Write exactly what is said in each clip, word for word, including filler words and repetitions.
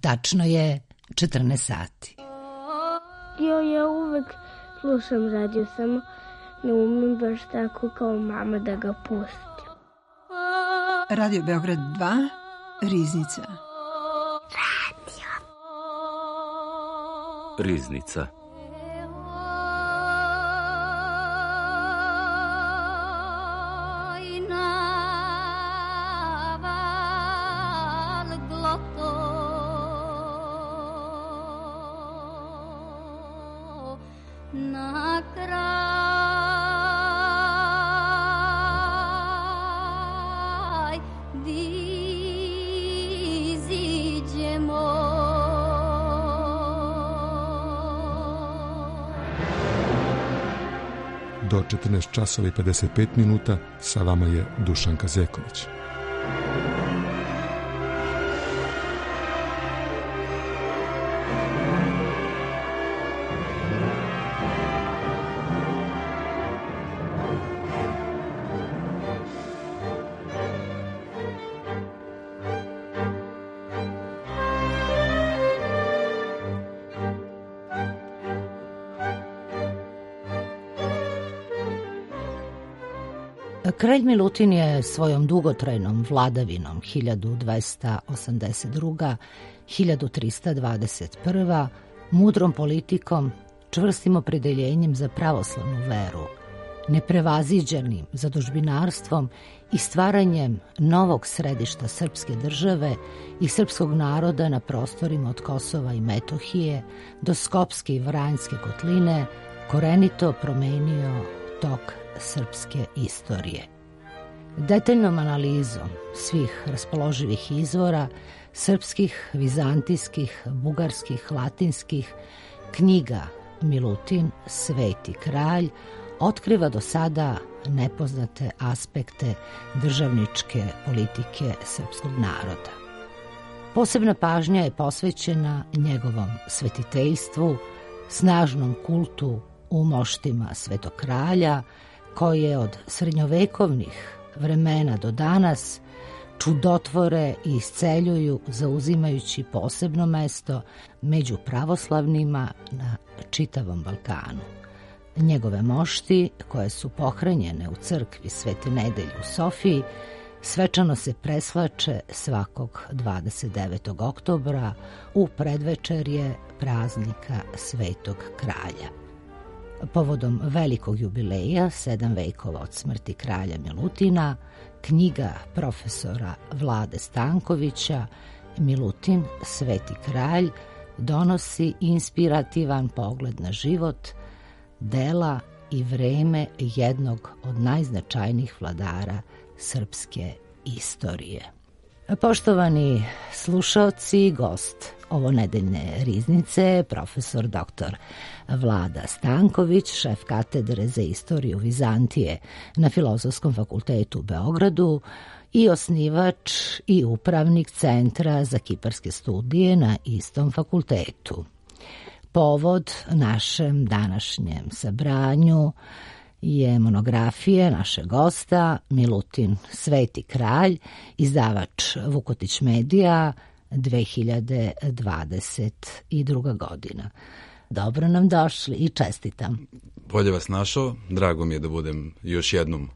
Tačno je četrnaest sati. Jo, ja uvek slušam radio, samo ne umem baš tako kao mama da ga pustim. Radio Beograd dva, Riznica. Radio. Riznica. Do četrnaest časova i pedeset pet minuta sa vama je Dušanka Zeković. Kralj Milutin je svojom dugotrajnom vladavinom hiljadu dvesta osamdeset druga do hiljadu trista dvadeset prva, mudrom politikom, čvrstim opredeljenjem za pravoslavnu veru, neprevaziđenim zadužbinarstvom i stvaranjem novog središta srpske države i srpskog naroda na prostorima od Kosova i Metohije do Skopske i Vranjske kotline korenito promenio tok srpske istorije. Detaljnom analizom svih raspoloživih izvora, srpskih, vizantijskih, bugarskih, latinskih, knjiga Milutin, Sveti kralj, otkriva do sada nepoznate aspekte državničke politike srpskog naroda. Posebna pažnja je posvećena njegovom svetiteljstvu, snažnom kultu u moštima Svetog kralja, koji je od srednjovekovnih vremena do danas čudotvore i isceljuju zauzimajući posebno mesto među pravoslavnima na čitavom Balkanu. Njegove mošti, koje su pohranjene u crkvi Svete Nedelje u Sofiji, svečano se presvlače svakog dvadeset devetog oktobra u predvečerje praznika Svetog kralja. Povodom velikog jubileja, sedam vekova od smrti kralja Milutina, knjiga profesora Vlade Stankovića Milutin, Sveti kralj, donosi inspirativan pogled na život, dela i vreme jednog od najznačajnijih vladara srpske istorije. Poštovani slušaoci, gost ovo nedeljne riznice, profesor doktor Vlada Stanković, šef katedre za istoriju Vizantije na Filozofskom fakultetu u Beogradu i osnivač i upravnik Centra za kiparske studije na istom fakultetu. Povod našem današnjem sabranju je monografija našeg gosta Milutin, Sveti kralj, izdavač Vukotić Medija, dve hiljade dvadeset druga. godina. Dobro nam došli i čestitam. Bolje vas našao, drago mi je da budem još jednom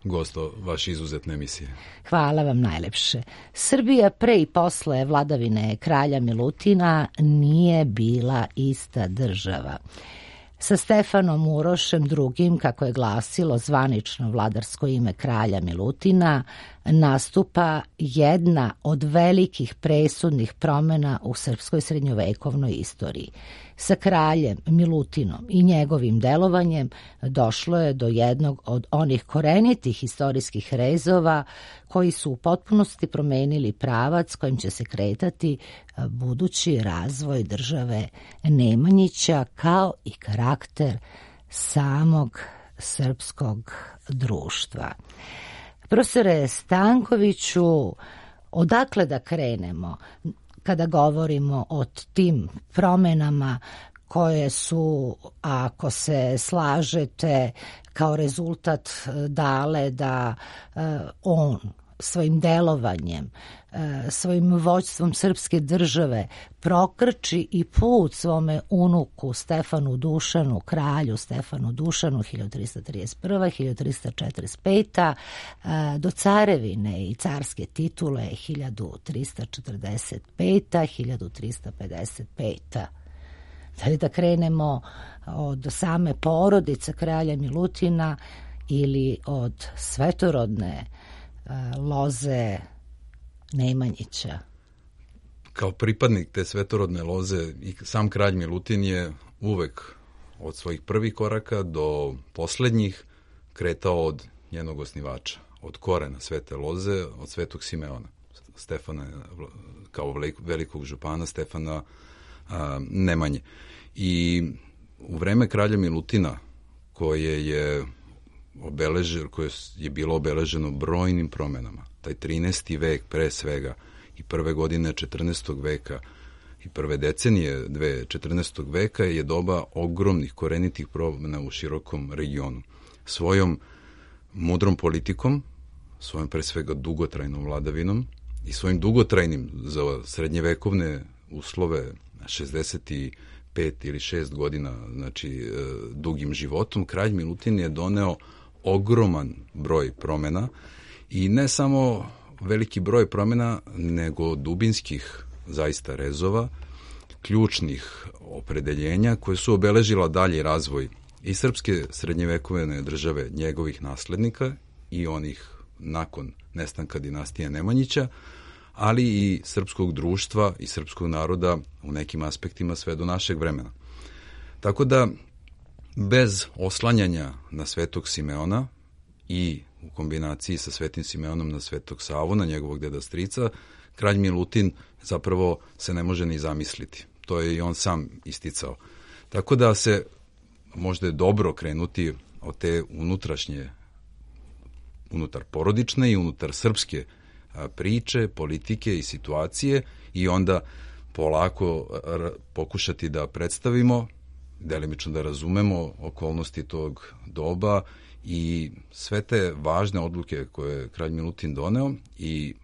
gosto vaše izuzetne emisije. Hvala vam najlepše. Srbija pre i posle vladavine kralja Milutina nije bila ista država. Sa Stefanom Urošem drugim, kako je glasilo zvanično vladarsko ime kralja Milutina, nastupa jedna od velikih presudnih promena u srpskoj srednjovekovnoj istoriji. Sa kraljem Milutinom i njegovim delovanjem došlo je do jednog od onih korenitih istorijskih rezova koji su u potpunosti promenili pravac kojim će se kretati budući razvoj države Nemanjića kao i karakter samog srpskog društva. Profesore Stankoviću, odakle da krenemo kada govorimo o tim promenama koje su, ako se slažete, kao rezultat dale da on svojim delovanjem, svojim vođstvom srpske države prokrči i put svome unuku Stefanu Dušanu, kralju Stefanu Dušanu hiljadu trista trideset prva do hiljadu trista četrdeset peta do carevine i carske titule hiljadu trista četrdeset peta do hiljadu trista pedeset peta. Da li da krenemo od same porodice kralja Milutina ili od svetorodne loze Nemanjića? Kao pripadnik te svetorodne loze i sam kralj Milutin je uvek od svojih prvih koraka do poslednjih kretao od njenog osnivača, od korena svete loze, od svetog Simeona, Stefana, kao velikog župana Stefana a, Nemanje. I u vreme kralja Milutina, koje je obeleženo, koje je bilo obeleženo brojnim promenama, taj trinaesti vek pre svega i prve godine četrnaestog veka i prve decenije dve četrnaestog veka je doba ogromnih korenitih promena u širokom regionu. Svojom mudrom politikom, svojom pre svega dugotrajnom vladavinom i svojim dugotrajnim za srednjevekovne uslove šezdeset pet ili šest godina, znači dugim životom, kralj Milutin je doneo ogroman broj promena i ne samo veliki broj promena, nego dubinskih zaista rezova, ključnih opredeljenja koje su obeležila dalji razvoj i srpske srednjevekovne države, njegovih naslednika i onih nakon nestanka dinastije Nemanjića, ali i srpskog društva i srpskog naroda u nekim aspektima sve do našeg vremena. Tako da, bez oslanjanja na svetog Simeona i u kombinaciji sa svetim Simeonom na svetog Savu, na njegovog deda strica, kralj Milutin zapravo se ne može ni zamisliti. To je i on sam isticao. Tako da se možda je dobro krenuti od te unutrašnje, unutar porodične i unutar srpske priče, politike i situacije i onda polako pokušati da predstavimo, delimično da razumemo okolnosti tog doba i sve te važne odluke koje je kralj Milutin doneo i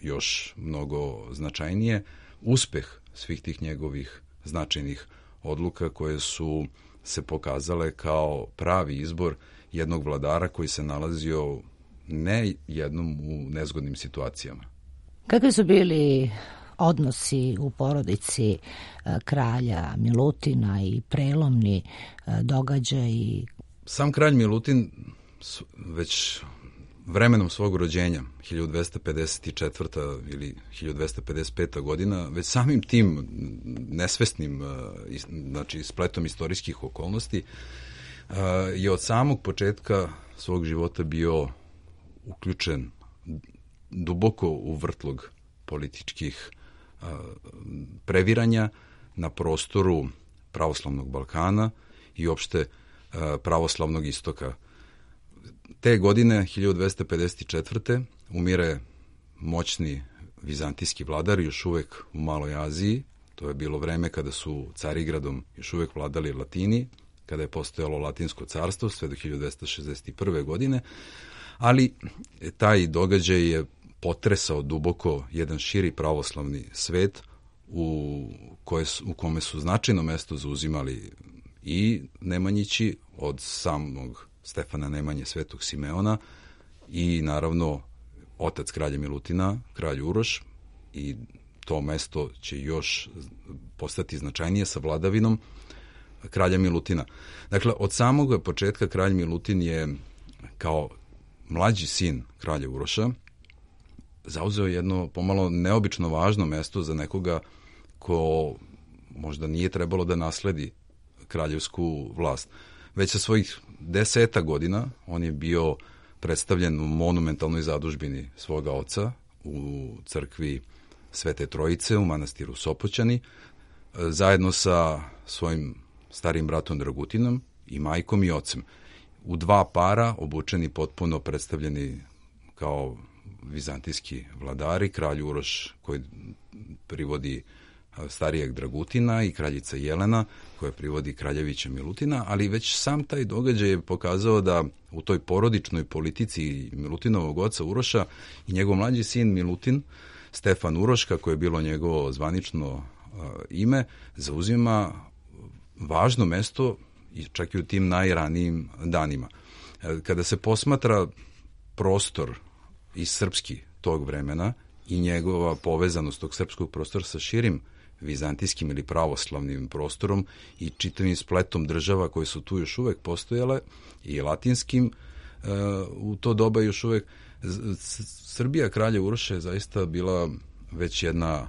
još mnogo značajnije, uspeh svih tih njegovih značajnih odluka koje su se pokazale kao pravi izbor jednog vladara koji se nalazio ne jednom u nezgodnim situacijama. Kakvi su bili odnosi u porodici kralja Milutina i prelomni događaji? Sam kralj Milutin već vremenom svog rođenja, hiljadu dvesta pedeset četvrta ili hiljadu dvesta pedeset peta godina, već samim tim nesvesnim, znači spletom istorijskih okolnosti, je od samog početka svog života bio uključen duboko u vrtlog političkih previranja na prostoru pravoslavnog Balkana i opšte pravoslavnog istoka. Te godine, hiljadu dvesta pedeset četvrte umire moćni vizantijski vladar, još uvek u Maloj Aziji. To je bilo vreme kada su Carigradom još uvek vladali Latini, kada je postojalo Latinsko carstvo, sve do hiljadu dvesta šezdeset prve godine, ali taj događaj je potresao duboko jedan širi pravoslavni svet u, koje, u kome su značajno mesto zauzimali i Nemanjići od samog Stefana Nemanje, svetog Simeona i naravno otac kralja Milutina, kralj Uroš, i to mesto će još postati značajnije sa vladavinom kralja Milutina. Dakle, od samog početka kralj Milutin je kao mlađi sin kralja Uroša zauzeo jedno pomalo neobično važno mesto za nekoga ko možda nije trebalo da nasledi kraljevsku vlast. Već sa svojih deseta godina on je bio predstavljen u monumentalnoj zadužbini svoga oca u crkvi Svete Trojice u manastiru Sopoćani, zajedno sa svojim starim bratom Dragutinom i majkom i ocem. U dva para, obučeni potpuno predstavljeni kao vizantijski vladari, kralj Uroš koji privodi starijeg Dragutina i kraljica Jelena, koja privodi kraljevića Milutina, ali već sam taj događaj je pokazao da u toj porodičnoj politici Milutinovog oca Uroša i njegov mlađi sin Milutin, Stefan Uroš, kako je bilo njegovo zvanično uh, ime, zauzima važno mesto i čak i u tim najranijim danima. Kada se posmatra prostor i srpski tog vremena i njegova povezanost tog srpskog prostora sa širim vizantijskim ili pravoslavnim prostorom i čitavim spletom država koje su tu još uvek postojale i latinskim, u to doba još uvek Srbija kralja Uroša je zaista bila već jedna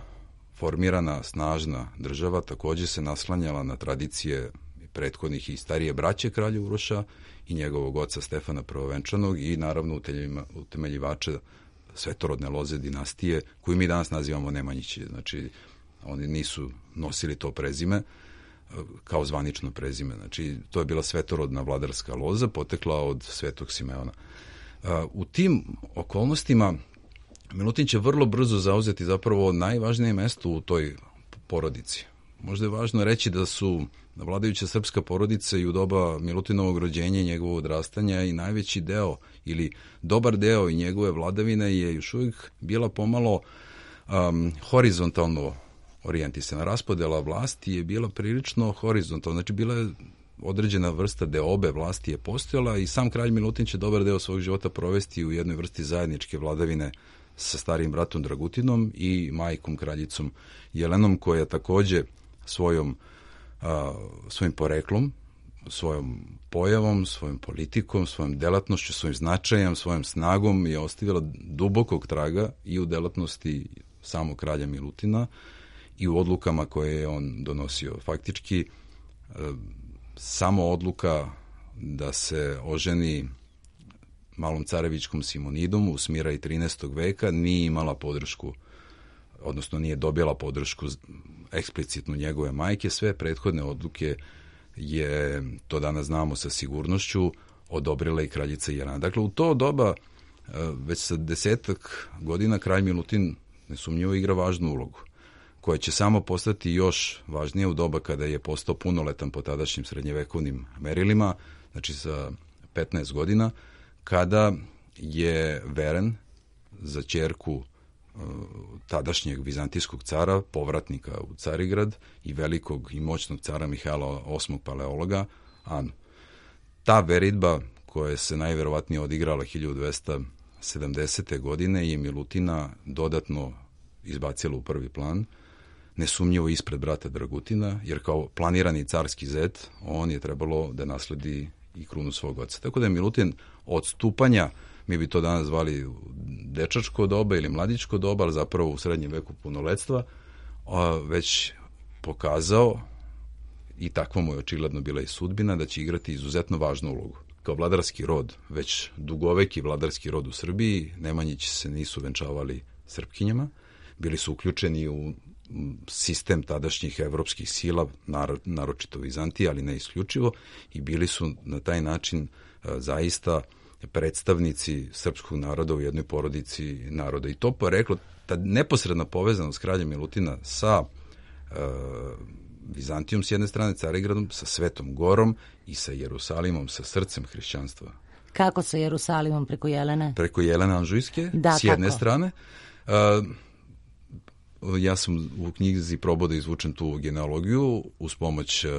formirana, snažna država, takođe se naslanjala na tradicije prethodnih i starije braće kralja Uroša i njegovog oca Stefana Prvovenčanog i naravno utemeljivača svetorodne loze dinastije, koju mi danas nazivamo Nemanjići. Znači, oni nisu nosili to prezime kao zvanično prezime. Znači, to je bila svetorodna vladarska loza, potekla od Svetog Simeona. U tim okolnostima Milutin će vrlo brzo zauzeti zapravo najvažnije mesto u toj porodici. Možda je važno reći da su vladajuća srpska porodica i u doba Milutinovog rođenja i njegovog odrastanja i najveći deo ili dobar deo i njegove vladavine je još uvijek bila pomalo um, horizontalno orijentisana. Raspodela vlasti je bila prilično horizontalna, znači bila je određena vrsta deobe vlasti je postojala i sam kralj Milutin će dobar deo svog života provesti u jednoj vrsti zajedničke vladavine sa starijim bratom Dragutinom i majkom kraljicom Jelenom, koja takođe svojom, a, svojim poreklom, svojom pojavom, svojom politikom, svojom delatnošću, svojim značajem, svojom snagom je ostavila dubokog traga i u delatnosti samog kralja Milutina i u odlukama koje je on donosio. Faktički, a, samo odluka da se oženi malom carevičkom Simonidom u Smira i trinaestog veka nije imala podršku, odnosno nije dobila podršku eksplicitno njegove majke. Sve prethodne odluke je, to danas znamo sa sigurnošću, odobrila i kraljica Jelena. Dakle, u to doba, već sa desetak godina, kralj Milutin nesumnjivo igra važnu ulogu, koja će samo postati još važnije u doba kada je postao punoletan po tadašnjim srednjevekovnim merilima, znači sa petnaest godina, kada je veren za ćerku tadašnjeg vizantijskog cara, povratnika u Carigrad i velikog i moćnog cara Mihajla osmog Paleologa, Anu. Ta veritba, koja se najverovatnije odigrala hiljadu dvesta sedamdesete. godine, je Milutina dodatno izbacila u prvi plan, nesumnjivo ispred brata Dragutina, jer kao planirani carski zet, on je trebalo da nasledi i krunu svog oca. Tako da je Milutin od stupanja, mi bi to danas zvali dečačko doba ili mladičko doba, ali zapravo u srednjem veku punoletstva, već pokazao, i takva mu je očigledno bila i sudbina, da će igrati izuzetno važnu ulogu. Kao vladarski rod, već dugoveki vladarski rod u Srbiji, Nemanjići se nisu venčavali Srpkinjama, bili su uključeni u sistem tadašnjih evropskih sila, naročito Vizantije, ali ne isključivo, i bili su na taj način zaista predstavnici srpskog naroda u jednoj porodici naroda. I to poreklo, ta neposredna povezanost kralja Milutina sa e, Vizantijom s jedne strane, Carigradom, sa Svetom Gorom i sa Jerusalimom, sa srcem hrišćanstva. Kako sa Jerusalimom, preko Jelene? Preko Jelene Anžujske, da, s jedne kako? strane. E, ja sam u knjizi probao da izvučem tu genealogiju uz pomoć uh,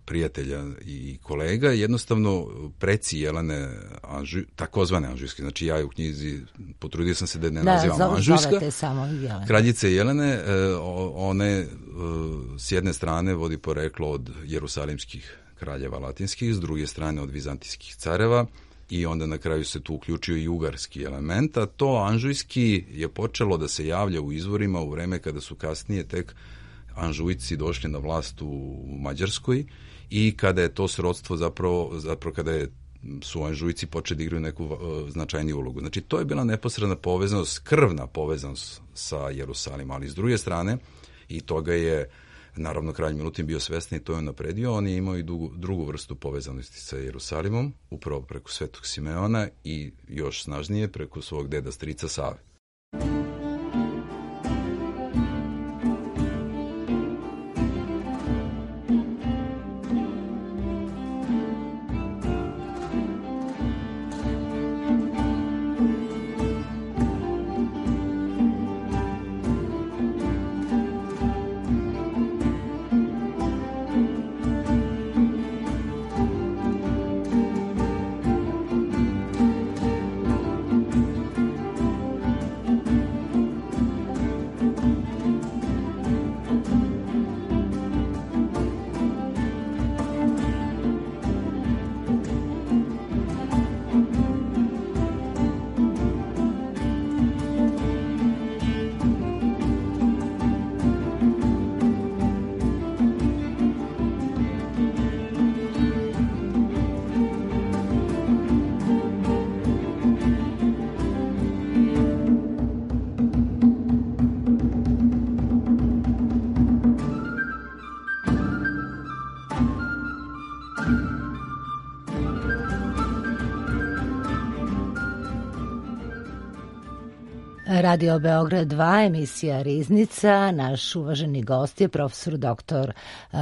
prijatelja i kolega. Jednostavno, preci Jelene, Anžuj, takozvane Anžujske, znači ja u knjizi potrudio sam se da ne da, nazivam zove, Anžujska. Samo Jelene. Kraljice Jelene, uh, one uh, s jedne strane vodi poreklo od jerusalimskih kraljeva latinskih, s druge strane od vizantijskih careva, i onda na kraju se tu uključio i ugarski element, a to anžujski je počelo da se javlja u izvorima u vreme kada su kasnije tek Anžujci došli na vlast u Mađarskoj i kada je to srodstvo zapravo, zapravo kada je, su Anžujci počeli da igraju neku uh, značajniju ulogu. Znači, to je bila neposredna povezanost, krvna povezanost sa Jerusalimom, ali s druge strane, i toga je naravno kralj Milutin bio svestan i to je napredio, on je imao i drugu, drugu vrstu povezanosti sa Jerusalimom, upravo preko Svetog Simeona i još snažnije preko svog deda strica Save. Radio Beograd dva, emisija Riznica. Naš uvaženi gost je profesor doktor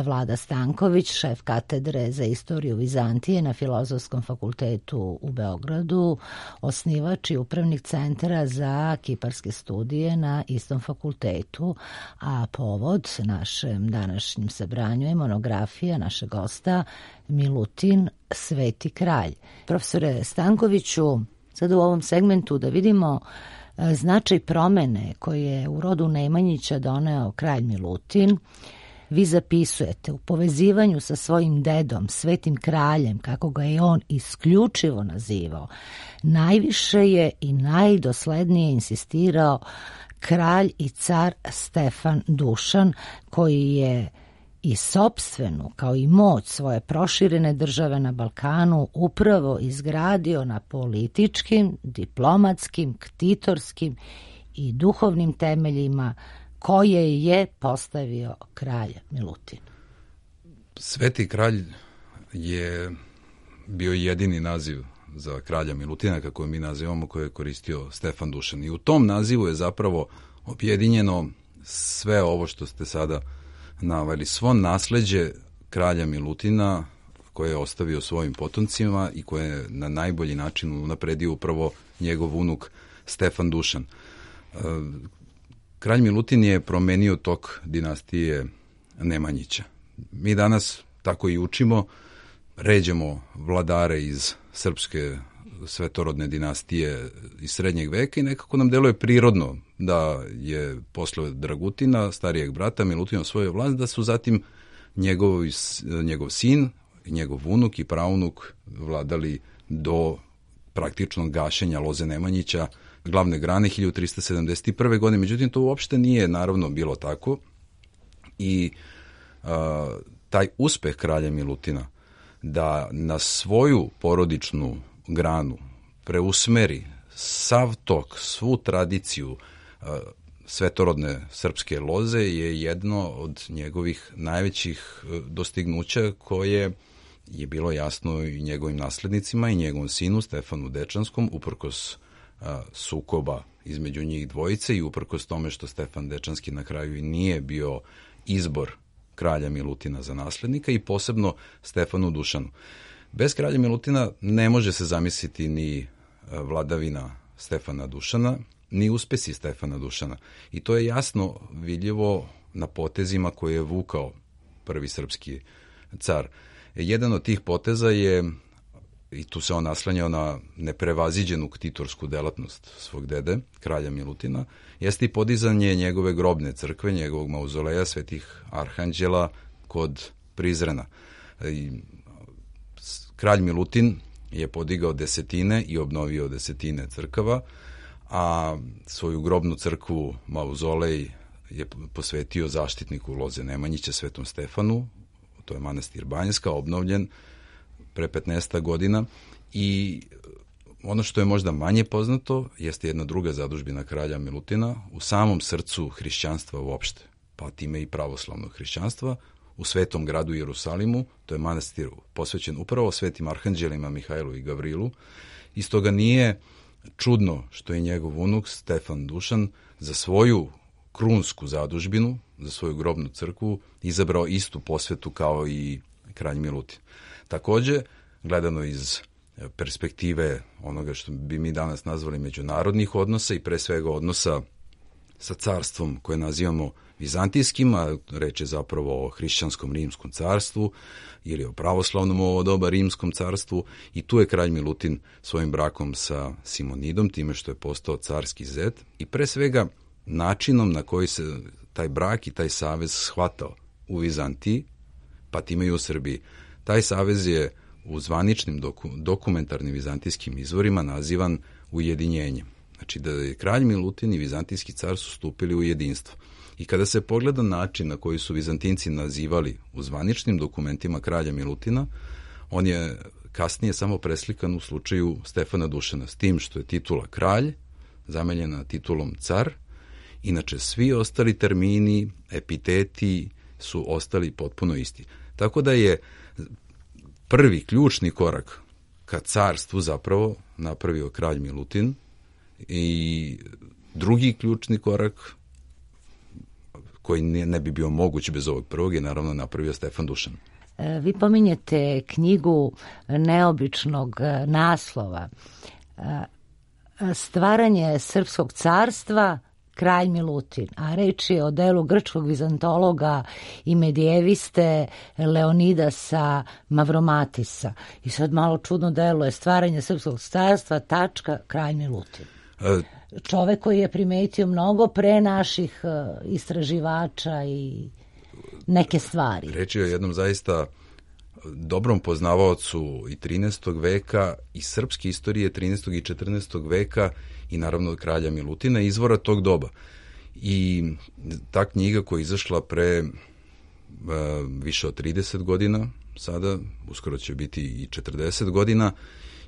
Vlada Stanković, šef katedre za istoriju Vizantije na Filozofskom fakultetu u Beogradu, osnivač i upravnik centra za kiparske studije na istom fakultetu, a povod našem današnjem sabranju je monografija našeg gosta Milutin, Sveti kralj. Profesore Stankoviću, sad u ovom segmentu da vidimo značaj promene koje je u rodu Nemanjića doneo kralj Milutin. Vi zapisujete u povezivanju sa svojim dedom, svetim kraljem, kako ga je on isključivo nazivao, najviše je i najdoslednije insistirao kralj i car Stefan Dušan, koji je i sopstvenu, kao i moć svoje proširene države na Balkanu upravo izgradio na političkim, diplomatskim, ktitorskim i duhovnim temeljima koje je postavio kralj Milutin. Sveti kralj je bio jedini naziv za kralja Milutina, kako mi nazivamo, koje je koristio Stefan Dušan. I u tom nazivu je zapravo objedinjeno sve ovo što ste sada naveli, svo nasleđe kralja Milutina koje je ostavio svojim potomcima i koje je na najbolji način unapredio upravo njegov unuk Stefan Dušan. Kralj Milutin je promenio tok dinastije Nemanjića. Mi danas tako i učimo, ređemo vladare iz srpske svetorodne dinastije iz srednjeg veka i nekako nam deluje prirodno da je posle Dragutina, starijeg brata, Milutin osvojio vlast, da su zatim njegov, njegov sin, njegov unuk i praunuk vladali do praktičnog gašenja loze Nemanjića, glavne grane hiljadu trista sedamdeset prve. godine. Međutim, to uopšte nije naravno bilo tako i a, taj uspeh kralja Milutina da na svoju porodičnu granu preusmeri sav tok, svu tradiciju uh, svetorodne srpske loze je jedno od njegovih najvećih uh, dostignuća koje je bilo jasno i njegovim naslednicima i njegovom sinu Stefanu Dečanskom, uprkos uh, sukoba između njih dvojice i uprkos tome što Stefan Dečanski na kraju i nije bio izbor kralja Milutina za naslednika i posebno Stefanu Dušanu. Bez kralja Milutina ne može se zamisliti ni vladavina Stefana Dušana, ni uspesi Stefana Dušana. I to je jasno vidljivo na potezima koje je vukao prvi srpski car. Jedan od tih poteza je, i tu se on naslanjao na neprevaziđenu ktitorsku delatnost svog dede, kralja Milutina, jeste i podizanje njegove grobne crkve, njegovog mauzoleja svetih arhanđela kod Prizrena. I kralj Milutin je podigao desetine i obnovio desetine crkava, a svoju grobnu crkvu, mauzolej, je posvetio zaštitniku loze Nemanjića, svetom Stefanu, to je manastir Banjska, obnovljen pre petnaest godina i ono što je možda manje poznato jeste jedna druga zadužbina kralja Milutina u samom srcu hrišćanstva uopšte, pa time i pravoslavnog hrišćanstva, u svetom gradu Jerusalimu, to je manastir posvećen upravo svetim arhanđelima Mihajlu i Gavrilu, i stoga nije čudno što je njegov unuk Stefan Dušan za svoju krunsku zadužbinu, za svoju grobnu crkvu, izabrao istu posvetu kao i kralj Milutin. Takođe, gledano iz perspektive onoga što bi mi danas nazvali međunarodnih odnosa i pre svega odnosa sa carstvom koje nazivamo vizantijskim, a reč je zapravo o hrišćanskom rimskom carstvu ili o pravoslavnom ovo doba rimskom carstvu, i tu je kralj Milutin svojim brakom sa Simonidom, time što je postao carski zet, i pre svega načinom na koji se taj brak i taj savez shvatao u Vizantiji, pa time i u Srbiji. Taj savez je u zvaničnim doku, dokumentarnim vizantijskim izvorima nazivan ujedinjenjem. Znači da je kralj Milutin i vizantijski car su stupili u jedinstvo. I kada se pogleda način na koji su Vizantinci nazivali u zvaničnim dokumentima kralja Milutina, on je kasnije samo preslikan u slučaju Stefana Dušana, s tim što je titula kralj zamenjena titulom car. Inače, svi ostali termini, epiteti su ostali potpuno isti. Tako da je prvi ključni korak ka carstvu zapravo napravio kralj Milutin i Drugi ključni korak koji ne, ne bi bio moguć bez ovog prvog je naravno napravio Stefan Dušan. Vi pominjete knjigu neobičnog naslova Stvaranje srpskog carstva, kralj Milutin, a reč je o delu grčkog vizantologa i medijeviste Leonidasa Mavromatisa. I sad malo čudno deluje Stvaranje srpskog carstva, tačka, kralj Milutin. E... Čovek koji je primetio mnogo pre naših istraživača i neke stvari. Reč je o jednom zaista dobrom poznavaocu i trinaestog veka i srpske istorije trinaestog i četrnaestog veka i naravno kralja Milutina, izvora tog doba. I ta knjiga koja je izašla pre uh, više od trideset godina, sada uskoro će biti i četrdeset godina,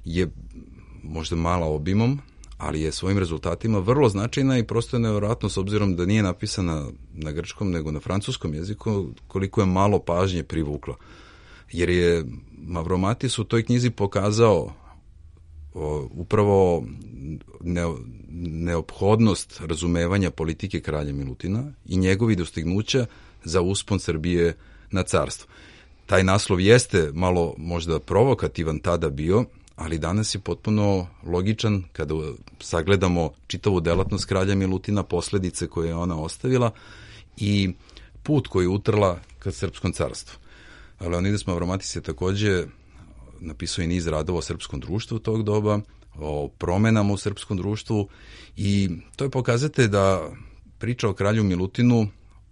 je možda mala obimom, ali je svojim rezultatima vrlo značajna i prosto je nevjerojatno s obzirom da nije napisana na grčkom nego na francuskom jeziku, koliko je malo pažnje privukla. Jer je Mavromatis u toj knjizi pokazao o, upravo ne, neophodnost razumevanja politike kralja Milutina i njegovi dostignuća za uspon Srbije na carstvo. Taj naslov jeste malo možda provokativan tada bio, ali danas je potpuno logičan kada sagledamo čitavu delatnost kralja Milutina, posledice koje je ona ostavila i put koji je utrla ka srpskom carstvu. Leonidas Mavromatis je takođe napisao i niz radova o srpskom društvu tog doba, o promenama u srpskom društvu i to je pokazatelj da priča o kralju Milutinu,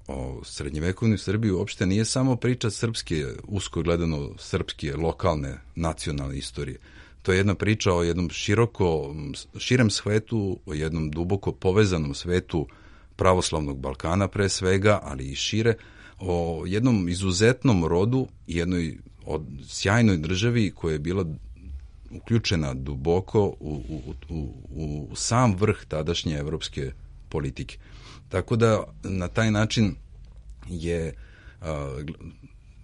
o srednjevekovnoj Srbiji uopšte nije samo priča srpske, usko gledano srpske, lokalne, nacionalne istorije. To je jedna priča o jednom široko, širem svetu, o jednom duboko povezanom svetu pravoslavnog Balkana pre svega, ali i šire, o jednom izuzetnom rodu i jednoj od sjajnoj državi koja je bila uključena duboko u, u, u, u sam vrh tadašnje evropske politike. Tako da na taj način je a,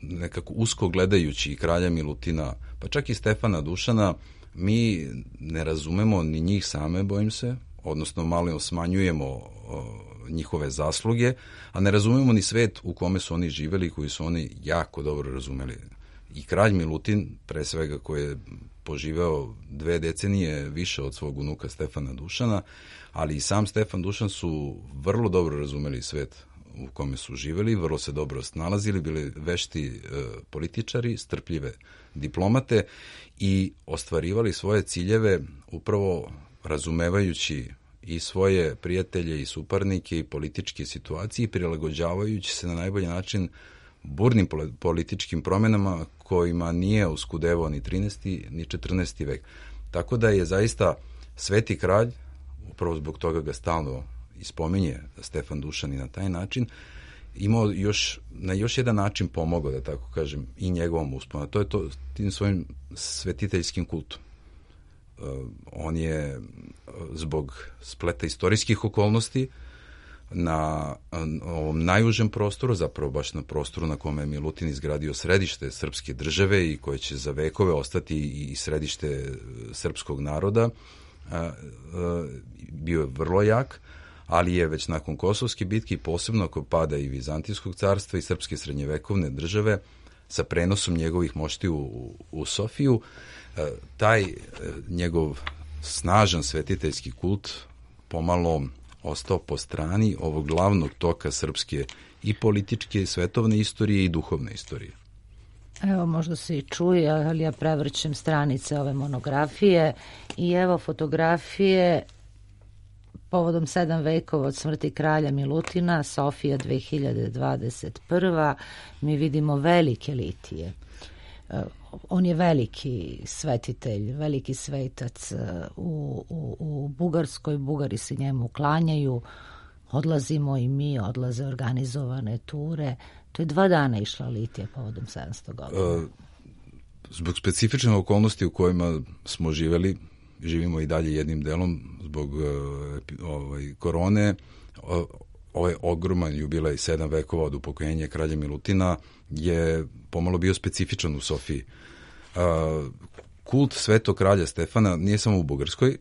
nekako usko gledajući i kralja Milutina, pa čak i Stefana Dušana, mi ne razumemo ni njih same, bojim se, odnosno malo smanjujemo o, njihove zasluge, a ne razumemo ni svet u kome su oni živeli, koji su oni jako dobro razumeli. I kralj Milutin, pre svega, koji je poživeo dve decenije više od svog unuka Stefana Dušana, ali i sam Stefan Dušan su vrlo dobro razumeli svet u kome su živeli, vrlo se dobro snalazili, bili vešti e, političari, strpljive diplomate i ostvarivali svoje ciljeve upravo razumevajući i svoje prijatelje i suparnike i političke situacije i prilagođavajući se na najbolji način burnim političkim promenama kojima nije uskudevao ni trinaesti ni četrnaesti vek. Tako da je zaista sveti kralj, upravo zbog toga ga stalno ispominje Stefan Dušan i na taj način, imao još, na još jedan način pomogao, da tako kažem, i njegovom usponu. To je to tim svojim svetiteljskim kultom. Uh, on je zbog spleta istorijskih okolnosti na ovom najužem prostoru, zapravo baš na prostoru na kome je Milutin izgradio središte srpske države i koje će za vekove ostati i središte srpskog naroda, bio je vrlo jak, ali je već nakon Kosovske bitke, posebno ako pada i Vizantijskog carstva i srpske srednjevekovne države, sa prenosom njegovih mošti u, u Sofiju, taj njegov snažan svetiteljski kult pomalo ostao po strani ovog glavnog toka srpske i političke, i svetovne istorije i duhovne istorije. Evo, možda se i čuje, ali ja prevrćem stranice ove monografije i evo fotografije povodom sedam vekova od smrti kralja Milutina, Sofija dve hiljade dvadeset prva. Mi vidimo velike litije. On je veliki svetitelj, veliki svetac u, u, u Bugarskoj. Bugari se njemu klanjaju, odlazimo i mi, odlaze organizovane ture. To je dva dana išla litija povodom sedamsto godina. Zbog specifične okolnosti u kojima smo živeli, živimo i dalje jednim delom zbog ovaj, korone, ovaj ogroman jubilej sedam vekova od upokojenja kralja Milutina je pomalo bio specifičan u Sofiji. Kult svetog kralja Stefana nije samo u Bugarskoj,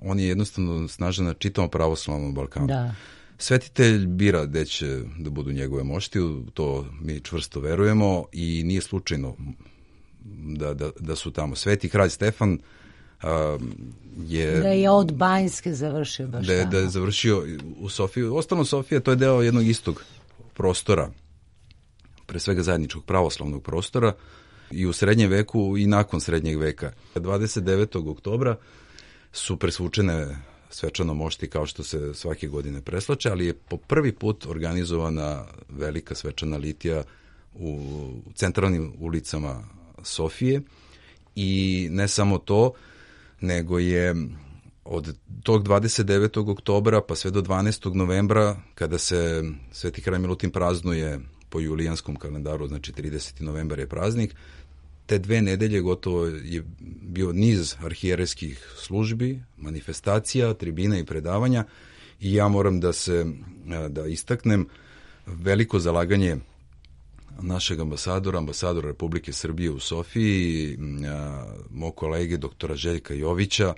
on je jednostavno snažan na čitavom pravoslavnom Balkanu. Da. Svetitelj bira gde će da budu njegove mošti, to mi čvrsto verujemo i nije slučajno da, da, da su tamo. Sveti kralj Stefan a, je... Da je od Banjske završio baš da je, tamo. Da je završio u Sofiji. Ostalo Sofija, to je deo jednog istog prostora, pre svega zajedničkog pravoslavnog prostora, i u srednjem veku i nakon srednjeg veka. dvadeset devetog oktobra su presvučene svečano mošti kao što se svake godine preslače, ali je po prvi put organizovana velika svečana litija u centralnim ulicama Sofije i ne samo to, nego je od tog dvadeset devetog oktobra pa sve do dvanaestog novembra, kada se Sveti kralj Milutin praznuje po julijanskom kalendaru, znači trideseti novembar je praznik, te dve nedelje gotovo je bio niz arhijerejskih službi, manifestacija, tribina i predavanja i ja moram da se da istaknem veliko zalaganje našeg ambasadora, ambasadora Republike Srbije u Sofiji, mog kolege doktora Željka Jovića,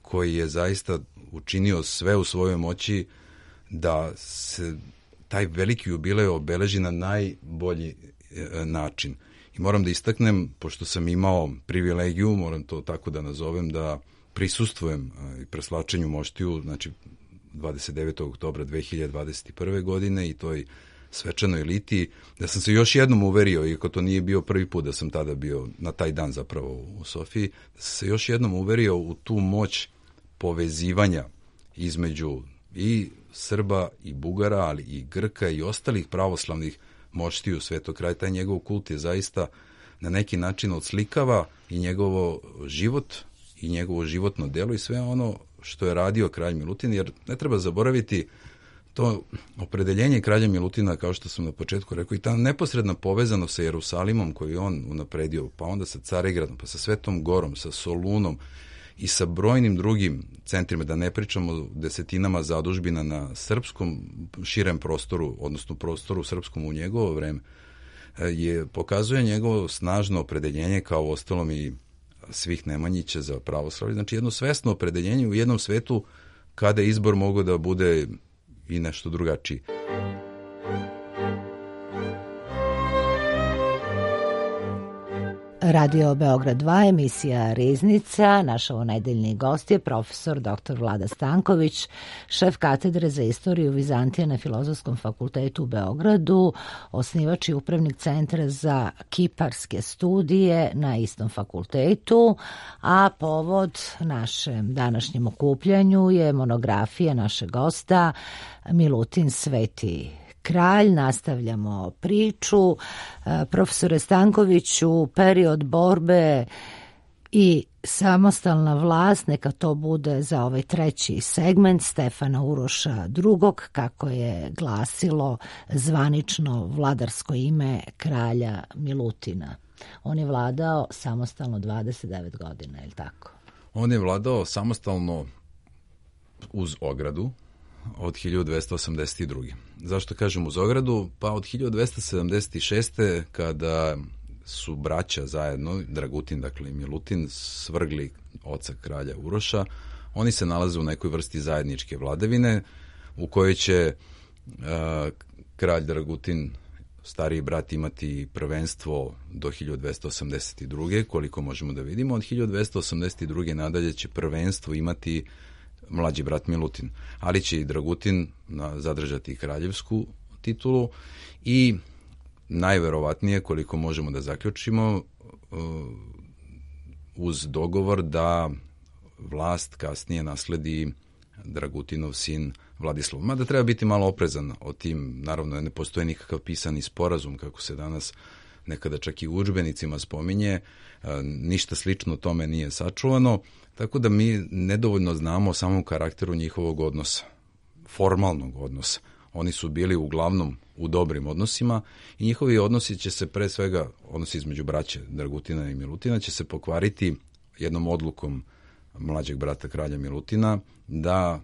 koji je zaista učinio sve u svojoj moći da se taj veliki jubilej obeleži na najbolji način. I moram da istaknem, pošto sam imao privilegiju, moram to tako da nazovem, da prisustvujem i preslačenju moštiju, znači dvadeset devetog oktobra dve hiljade dvadeset prve. godine i toj svečanoj litiji, da sam se još jednom uverio, iako to nije bio prvi put da sam tada bio na taj dan zapravo u Sofiji, da sam se još jednom uverio u tu moć povezivanja između i Srba i Bugara, ali i Grka i ostalih pravoslavnih moštiju Svetog kraja. Taj njegov kult je zaista na neki način odslikava i njegovo život i njegovo životno delo i sve ono što je radio kralj Milutin, jer ne treba zaboraviti to opredeljenje kralja Milutina, kao što sam na početku rekao, i ta neposredna povezanost sa Jerusalimom koju je on unapredio, pa onda sa Carigradom, pa sa Svetom Gorom, sa Solunom i sa brojnim drugim centrima, da ne pričamo o desetinama zadužbina na srpskom širem prostoru, odnosno prostoru srpskom u njegovo vreme, je pokazuje njegovo snažno opredeljenje, kao ostalom i svih Nemanjića za pravoslavlje. Znači jedno svesno opredeljenje u jednom svetu kada izbor mogao da bude i nešto drugačiji. Radio Beograd dva, emisija Riznica. Naš ovonedeljni gost je profesor doktor Vlada Stanković, šef katedre za istoriju Vizantije na Filozofskom fakultetu u Beogradu, osnivač i upravnik Centra za kiparske studije na istom fakultetu, a povod našem današnjem okupljanju je monografija našeg gosta Milutin Sveti kralj. Nastavljamo priču. Profesore Stankoviću, period borbe i samostalna vlast, neka to bude za ovaj treći segment Stefana Uroša drugog, kako je glasilo zvanično vladarsko ime kralja Milutina. On je vladao samostalno dvadeset devet godina, je li tako? On je vladao samostalno uz ogradu od hiljadu dvesta osamdeset druge. Zašto kažem uz ogradu? Pa od hiljadu dvesta sedamdeset šeste. kada su braća zajedno, Dragutin dakle i Milutin, svrgli oca kralja Uroša, oni se nalaze u nekoj vrsti zajedničke vladavine u kojoj će uh, kralj Dragutin, stariji brat, imati prvenstvo do hiljadu dvesta osamdeset druge. Koliko možemo da vidimo. Od hiljadu dvesta osamdeset druge. nadalje će prvenstvo imati mlađi brat Milutin, ali će i Dragutin zadržati kraljevsku titulu i najverovatnije, koliko možemo da zaključimo, uz dogovor da vlast kasnije nasledi Dragutinov sin Vladislav. Mada treba biti malo oprezan o tim, naravno ne postoji nikakav pisani sporazum, kako se danas nekada čak i u udžbenicima spominje, ništa slično tome nije sačuvano, tako da mi nedovoljno znamo o samom karakteru njihovog odnosa, formalnog odnosa. Oni su bili uglavnom u dobrim odnosima i njihovi odnosi će se pre svega, odnosi između braće Dragutina i Milutina, će se pokvariti jednom odlukom mlađeg brata kralja Milutina da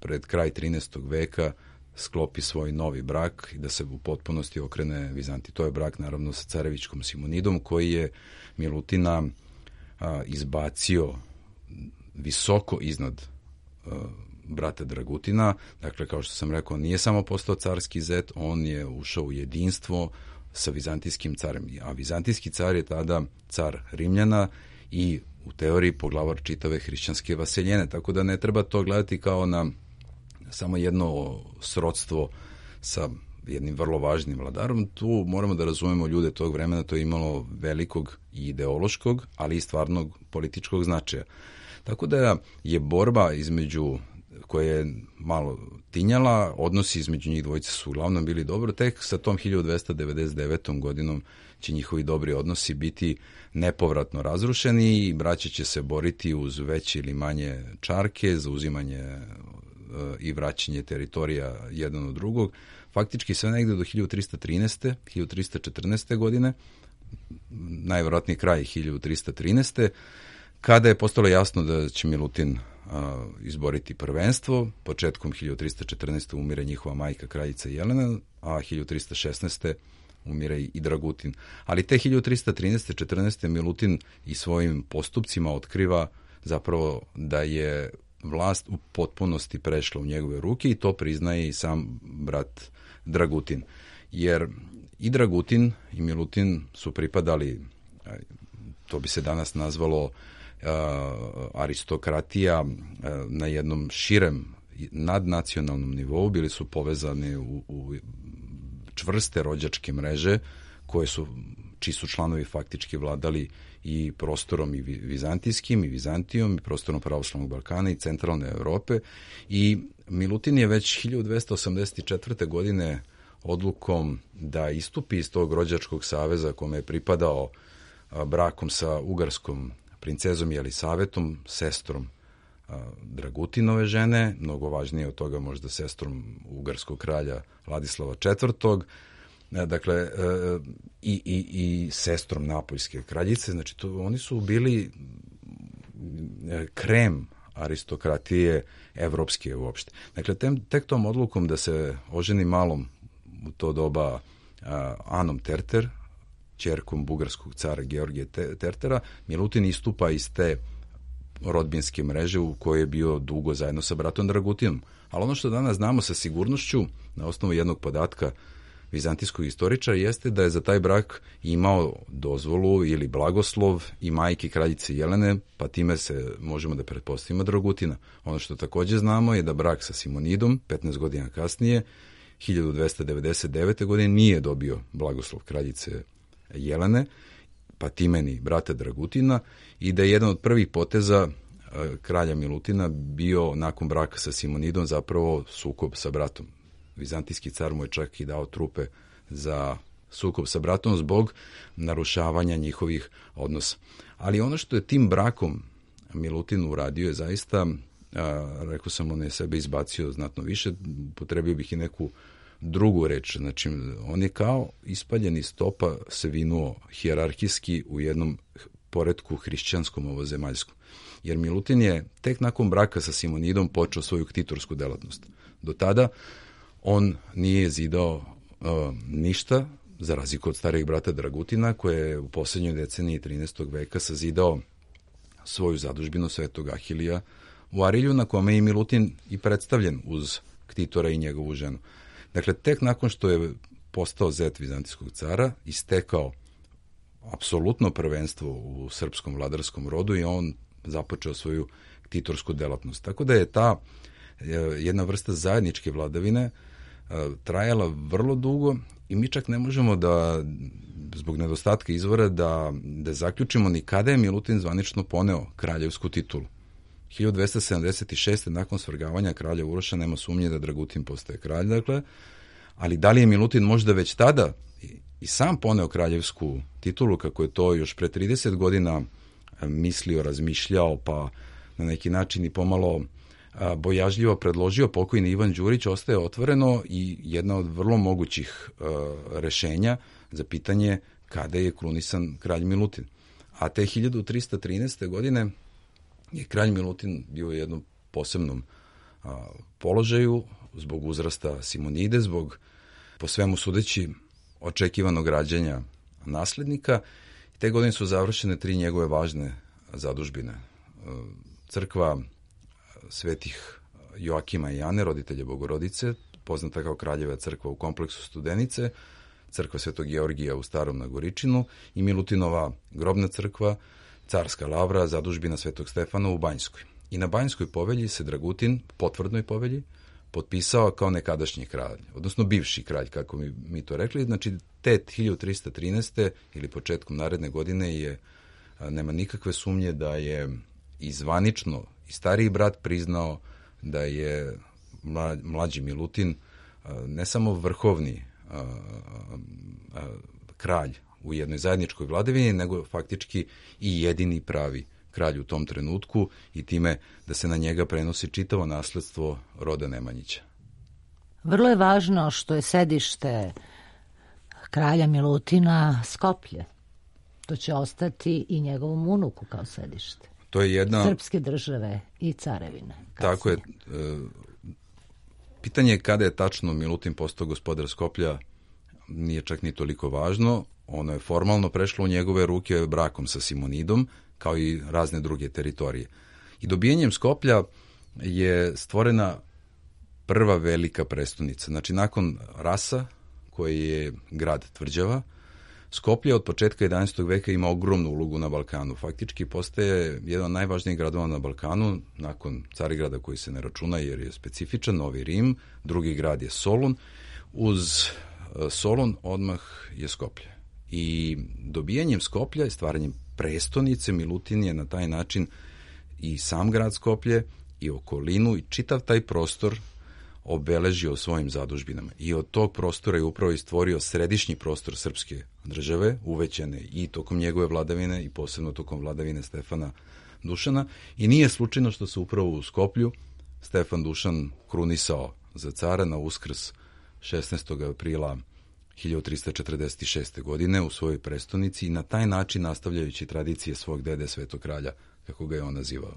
pred kraj trinaestog veka sklopi svoj novi brak i da se u potpunosti okrene Vizantiji. To je brak naravno sa carevičkom Simonidom, koji je Milutina a, izbacio visoko iznad uh, brata Dragutina. Dakle, kao što sam rekao, nije samo postao carski zet, on je ušao u jedinstvo sa vizantijskim carem. A vizantijski car je tada car Rimljana i u teoriji poglavar čitave hrišćanske vaseljene. Tako da ne treba to gledati kao na samo jedno srodstvo sa jednim vrlo važnim vladarom. Tu moramo da razumemo ljude tog vremena, to je imalo velikog i ideološkog, ali i stvarnog političkog značaja. Tako da je borba između koja je malo tinjala, odnosi između njih dvojice su uglavnom bili dobro, tek sa tom hiljadu dvesta devedeset devetom godinom će njihovi dobri odnosi biti nepovratno razrušeni i braća će se boriti uz veće ili manje čarke za uzimanje e, i vraćanje teritorija jedan od drugog. Faktički sve negde do hiljadu trista trinaeste. hiljadu trista četrnaeste. godine, najverovatniji kraj hiljadu trista trinaeste. kada je postalo jasno da će Milutin a, izboriti prvenstvo. Početkom hiljadu trista četrnaeste. umire njihova majka kraljica Jelena, a hiljadu trista šesnaeste. umire i Dragutin. Ali te hiljadu trista trinaeste. četrnaeste. Milutin i svojim postupcima otkriva zapravo da je vlast u potpunosti prešla u njegove ruke i to priznaje i sam brat Dragutin. Jer i Dragutin i Milutin su pripadali, to bi se danas nazvalo uh, aristokratija uh, na jednom širem nadnacionalnom nivou, bili su povezani u, u čvrste rođačke mreže koje su, čiji su članovi faktički vladali i prostorom i vizantijskim i Vizantijom i prostorom pravoslavnog Balkana i centralne Evrope. I Milutin je već hiljadu dvesta osamdeset četvrte. godine odlukom da istupi iz tog rođačkog saveza kome je pripadao brakom sa ugarskom princezom Jelisavetom, sestrom Dragutinove žene, mnogo važnije od toga možda sestrom ugarskog kralja Vladislava četvrtog. Dakle, i, i, i sestrom Napoljske kraljice. Znači, to, oni su bili krem aristokratije evropske uopšte. Dakle, tem, tek tom odlukom da se oženi malom u to doba uh, Anom Terter, ćerkom bugarskog cara Georgije Tertera, Milutin istupa iz te rodbinske mreže u kojoj je bio dugo zajedno sa bratom Dragutinom. Ali ono što danas znamo sa sigurnošću, na osnovu jednog podatka vizantijskog istoričara, jeste da je za taj brak imao dozvolu ili blagoslov i majke kraljice Jelene, pa time se možemo da pretpostavimo Dragutina. Ono što takođe znamo je da brak sa Simonidom, petnaest godina kasnije, hiljadu dvesta devedeset devete. godine, nije dobio blagoslov kraljice Jelene, pa time ni brata Dragutina, i da je jedan od prvih poteza kralja Milutina bio nakon braka sa Simonidom zapravo sukob sa bratom. Vizantijski car mu je čak i dao trupe za sukob sa bratom zbog narušavanja njihovih odnosa. Ali ono što je tim brakom Milutin uradio je zaista, a, rekao sam, on je sebe izbacio znatno više, potrebio bih i neku drugu reč. Znači, on je kao ispaljeni stopa se vinuo hijerarhijski u jednom poretku hrišćanskom ovozemaljskom. Jer Milutin je tek nakon braka sa Simonidom počeo svoju ktitorsku delatnost. Do tada on nije zidao uh, ništa, za razliku od starijeg brata Dragutina, koji je u poslednjoj deceniji trinaestog veka sazidao svoju zadužbinu Svetog Ahilija u Arilju, na kome je i Milutin i predstavljen uz ktitora i njegovu ženu. Dakle, tek nakon što je postao zet vizantijskog cara i stekao apsolutno prvenstvo u srpskom vladarskom rodu i on započeo svoju ktitorsku delatnost. Tako da je ta jedna vrsta zajedničke vladavine trajala vrlo dugo i mi čak ne možemo da, zbog nedostatka izvora, da, da zaključimo ni kada je Milutin zvanično poneo kraljevsku titulu. hiljadu dvesta sedamdeset šeste. nakon svrgavanja kralja Uroša nema sumnje da Dragutin postaje kralj, dakle, ali da li je Milutin možda već tada i, i sam poneo kraljevsku titulu, kako je to još pre trideset godina mislio, razmišljao, pa na neki način i pomalo bojažljivo predložio pokojni Ivan Đurić, ostaje otvoreno i jedna od vrlo mogućih uh, rešenja za pitanje kada je krunisan kralj Milutin. A te hiljadu trista trinaeste. godine je kralj Milutin bio u jednom posebnom uh, položaju zbog uzrasta Simonide, zbog po svemu sudeći očekivanog rađanja naslednika. Te godine su završene tri njegove važne zadužbine. Uh, crkva svetih Joakima i Ane, roditelje Bogorodice, poznata kao Kraljeva crkva u kompleksu Studenice, crkva Svetog Georgija u Starom Nagoričinu i Milutinova grobna crkva, Carska lavra, zadužbina Svetog Stefana u Banjskoj. I na Banjskoj povelji se Dragutin, potvrdnoj povelji, potpisao kao nekadašnji kralj, odnosno bivši kralj, kako mi, mi to rekli. Znači, te hiljadu trista trinaeste. ili početkom naredne godine je, nema nikakve sumnje da je i zvanično i stariji brat priznao da je mlađi Milutin ne samo vrhovni a, a, kralj u jednoj zajedničkoj vladavini, nego faktički i jedini pravi kralj u tom trenutku i time da se na njega prenosi čitavo nasledstvo roda Nemanjića. Vrlo je važno što je sedište kralja Milutina Skoplje. To će ostati i njegovom unuku kao sedište. To je jedna... Srpske države i carevine. Kasnije. Tako je. Pitanje je kada je tačno Milutin postao gospodar Skoplja, nije čak ni toliko važno. Ono je formalno prešlo u njegove ruke brakom sa Simonidom, kao i razne druge teritorije. I dobijenjem Skoplja je stvorena prva velika prestonica. Znači, nakon Rasa, koji je grad tvrđava, Skoplje od početka jedanaestog veka ima ogromnu ulogu na Balkanu. Faktički postaje jedan od najvažnijih gradova na Balkanu, nakon Carigrada koji se ne računa jer je specifičan, Novi Rim, drugi grad je Solun. Uz Solun odmah je Skoplje. I dobijanjem Skoplja i stvaranjem prestonice Milutin je na taj način i sam grad Skoplje i okolinu i čitav taj prostor obeležio svojim zadužbinama. I od tog prostora je upravo i stvorio središnji prostor srpske države, uvećane i tokom njegove vladavine i posebno tokom vladavine Stefana Dušana. I nije slučajno što se upravo u Skoplju Stefan Dušan krunisao za cara na Uskrs šesnaestog aprila hiljadu trista četrdeset šeste. godine u svojoj prestonici i na taj način nastavljajući tradicije svog dede Svetog kralja, kako ga je on nazivao.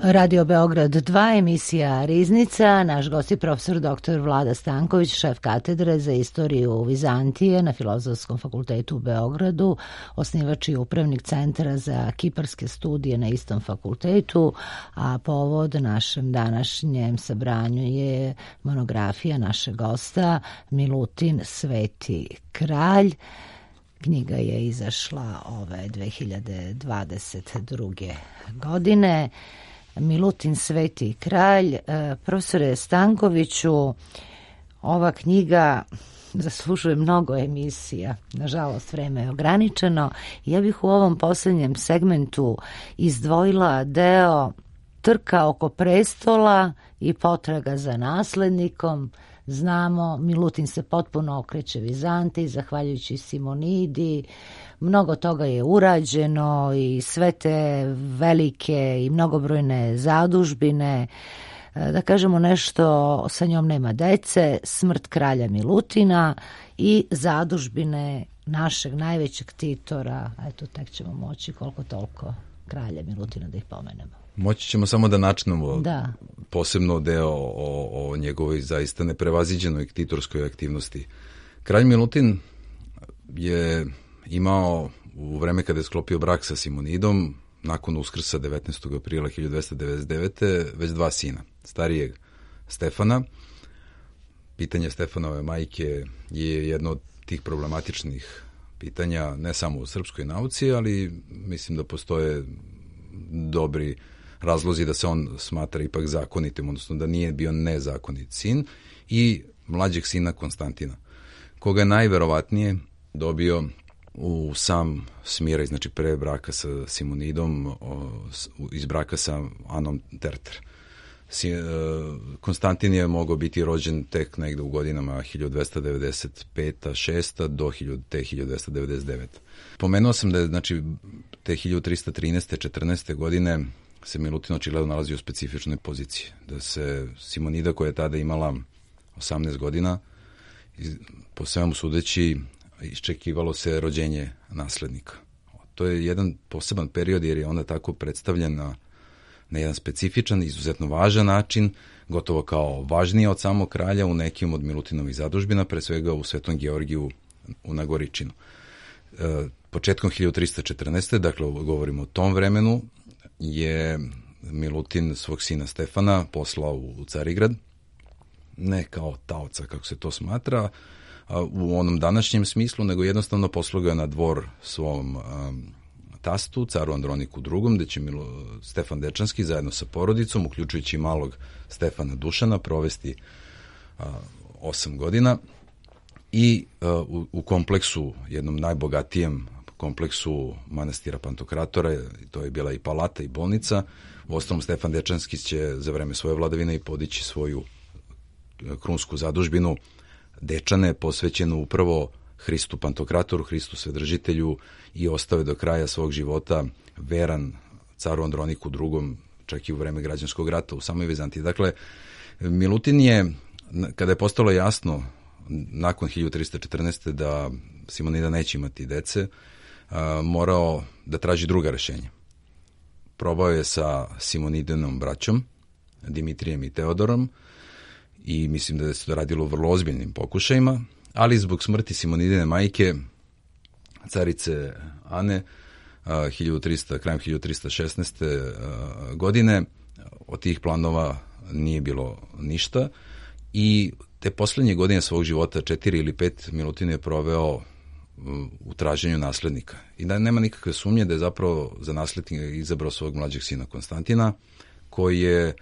Radio Beograd dva, emisija Riznica. Naš gost je profesor doktor Vlada Stanković, šef katedre za istoriju Vizantije na Filozofskom fakultetu u Beogradu, osnivač i upravnik Centra za kiparske studije na istom fakultetu, a povod našem današnjem sabranju je monografija našeg gosta Milutin Sveti kralj. Knjiga je izašla ove dve hiljade dvadeset druge. godine. Milutin Sveti kralj. Profesore Stankoviću, ova knjiga zaslužuje mnogo emisija. Nažalost, vreme je ograničeno. Ja bih u ovom posljednjem segmentu izdvojila deo trka oko prestola i potraga za naslednikom. Znamo, Milutin se potpuno okreće Vizantiji, zahvaljujući Simonidi. Mnogo toga je urađeno i sve te velike i mnogobrojne zadužbine. Da kažemo nešto, sa njom nema dece, smrt kralja Milutina i zadužbine našeg najvećeg ktitora. Eto, tek ćemo moći koliko toliko kralja Milutina da ih pomenemo. Moći ćemo samo da načnemo da. posebno deo o, o njegovoj zaista neprevaziđenoj ktitorskoj aktivnosti. Kralj Milutin je imao u vreme kada je sklopio brak sa Simonidom, nakon Uskrsa devetnaestog aprila hiljadu dvesta devedeset devete. već dva sina. Starijeg Stefana. Pitanje Stefanove majke je jedno od tih problematičnih pitanja, ne samo u srpskoj nauci, ali mislim da postoje dobri razlozi da se on smatra ipak zakonitim, odnosno da nije bio nezakonit sin, i mlađeg sina Konstantina, koga je najverovatnije dobio u sam Smiraj, znači pre braka sa Simonidom, iz braka sa Anom Terter. Konstantin je mogao biti rođen tek negde u godinama hiljadu dvesta devedeset peta šesta do te hiljadu dvesta devedeset devete. Pomenuo sam da je, znači, te hiljadu trista trinaeste četrnaeste godine se Milutin očigledno nalazi u specifičnoj poziciji. Da se Simonida, koja je tada imala osamnaest godina, po svemu sudeći, iščekivalo se rođenje naslednika. To je jedan poseban period jer je onda tako predstavljena na jedan specifičan, izuzetno važan način, gotovo kao važnije od samog kralja u nekim od Milutinovih zadužbina, pre svega u Svetom Georgiju u Nagoričinu. E, početkom hiljadu trista četrnaeste. dakle govorimo o tom vremenu, je Milutin svog sina Stefana poslao u Carigrad, ne kao taoca kako se to smatra u onom današnjem smislu, nego jednostavno poslao ga na dvor svom um, tastu, caru Androniku drugom, gde će Milo, Stefan Dečanski zajedno sa porodicom, uključujući malog Stefana Dušana, provesti uh, osam godina i uh, u, u kompleksu, jednom najbogatijem kompleksu manastira Pantokratora, to je bila i palata i bolnica. U ostalom, Stefan Dečanski će za vreme svoje vladavine i podići svoju krunsku zadužbinu Dečane, posvećenu upravo Hristu Pantokratoru, Hristu Svedržitelju, i ostave do kraja svog života veran caru Androniku drugom, čak i u vreme građanskog rata u samoj Vizantiji. Dakle, Milutin je, kada je postalo jasno nakon hiljadu trista četrnaeste. da Simonida neće imati dece, morao da traži druga rešenja. Probao je sa Simonidinom braćom, Dimitrijem i Teodorom, i mislim da se to radilo u vrlo ozbiljnim pokušajima, ali zbog smrti Simonidine majke, carice Ane, hiljadu trista, krajem hiljadu trista šesnaeste. godine, od tih planova nije bilo ništa, i te poslednje godine svog života, četiri ili pet, Milutin je proveo u traženju naslednika. I da nema nikakve sumnje da je zapravo za naslednika izabrao svog mlađeg sina Konstantina, koji je